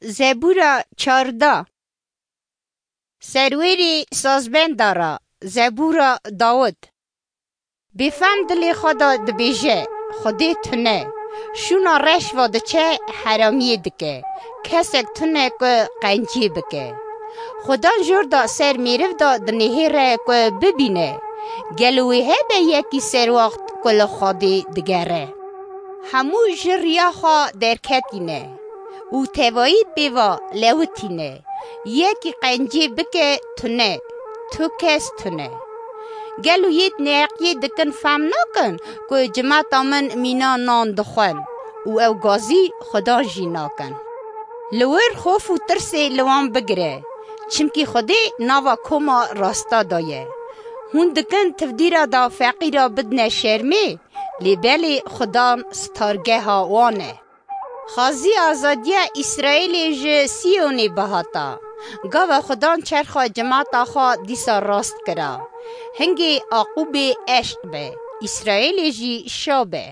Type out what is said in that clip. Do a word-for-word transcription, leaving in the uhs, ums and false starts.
Zebûra çardeh. Serwêrê sazbenda ra, zebûra Dawid. Bêfem dilê xwe de dibêje, Xwedê tune, şûna reş va diçe, heramiyê dike, kesek tune ku qenciyê bike. Xudan jor da ser mêriv de dinihêre ku bibîne, gelo wê hebe yekî serwaxt ku li Xwedê digere? Hemû ji riya xwe derketîne û tevayî pê ve lewitîne. Yekî qencî bike tune, tu kes tune. Gelo yêd neheqiyê dikin fam nakin ku cimata min mîna nan dixwin û ew gazî Xudan jî nakin. Li wir xof û tirsê li wan bigire, çimkî Xwedê nava koma rasta daye. Hûn dikin tivdîra da feqîra bidine şermê, lê belê Xudan stargeha wan e. Xazî azadiya Îsraîlê ji Siyonê bihata. Gava Xudan çerxa cimata xwe dîsa rast kira. Hingê Aqûbê eşq be, Îsraîlê jî şa be.